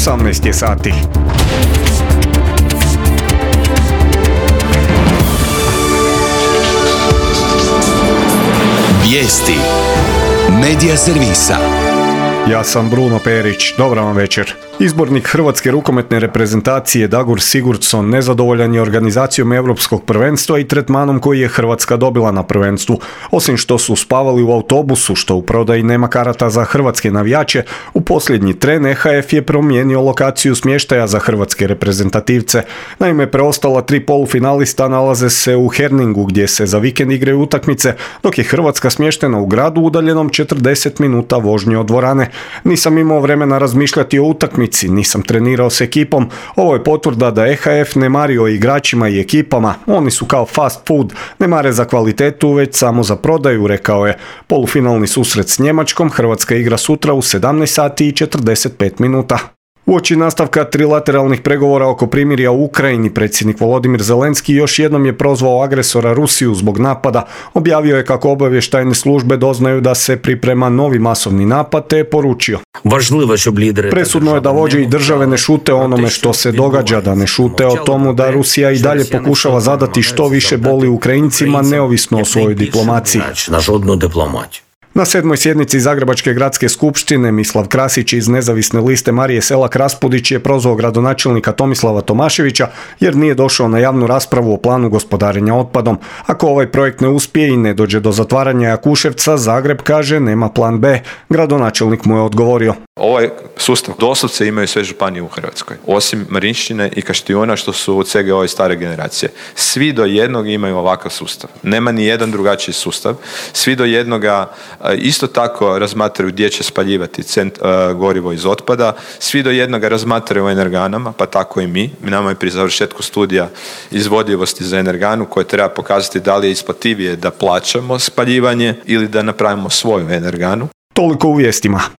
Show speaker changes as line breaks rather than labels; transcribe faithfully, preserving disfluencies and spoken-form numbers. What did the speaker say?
osamnaest je sati.
Vijesti Medija servisa.
Ja sam Bruno Perić, dobar vam večer. Izbornik hrvatske rukometne reprezentacije Dagur Sigurdsson nezadovoljan je organizacijom europskog prvenstva i tretmanom koji je Hrvatska dobila na prvenstvu. Osim što su spavali u autobusu, što u prodaji nema karata za hrvatske navijače, u posljednji tren E H F je promijenio lokaciju smještaja za hrvatske reprezentativce. Naime, preostala tri polufinalista nalaze se u Herningu gdje se za vikend igraju utakmice, dok je Hrvatska smještena u gradu udaljenom četrdeset minuta vožnje od dvorane. Nisam imao vremena razmišljati o utakmici, nisam trenirao s ekipom. Ovo je potvrda da E H F ne mari o igračima i ekipama. Oni su kao fast food, ne mare za kvalitetu, već samo za prodaju, rekao je. Polufinalni susret s Njemačkom Hrvatska igra sutra u sedamnaest sati i četrdeset pet minuta. Uoči nastavka trilateralnih pregovora oko primirja u Ukrajini, predsjednik Volodimir Zelenski još jednom je prozvao agresora Rusiju zbog napada. Objavio je kako obavještajne službe doznaju da se priprema novi masovni napad, te je poručio: presudno je da vođe i države ne šute o onome što se događa, da ne šute o tomu da Rusija i dalje pokušava zadati što više boli Ukrajincima neovisno o svojoj diplomaciji. Na sedmoj sjednici Zagrebačke gradske skupštine Mislav Krasić iz nezavisne liste Marije Selak Raspudić je prozvao gradonačelnika Tomislava Tomaševića jer nije došao na javnu raspravu o planu gospodarenja otpadom. Ako ovaj projekt ne uspije i ne dođe do zatvaranja Jakuševca, Zagreb, kaže, nema plan B. Gradonačelnik mu je odgovorio:
ovaj sustav doslovce imaju sve županije u Hrvatskoj, osim Marinšćine i Kaštijuna, što su od svega ove stare generacije. Svi do jednog imaju ovakav sustav. Nema ni jedan drugačiji sustav. Svi do jednoga isto tako razmatraju gdje će spaljivati cent, uh, gorivo iz otpada. Svi do jednoga razmatraju o energanama, pa tako i mi. Nama je pri završetku studija izvodljivosti za energanu koje treba pokazati da li je isplativije da plaćamo spaljivanje ili da napravimo svoju energanu.
Toliko u vijestima.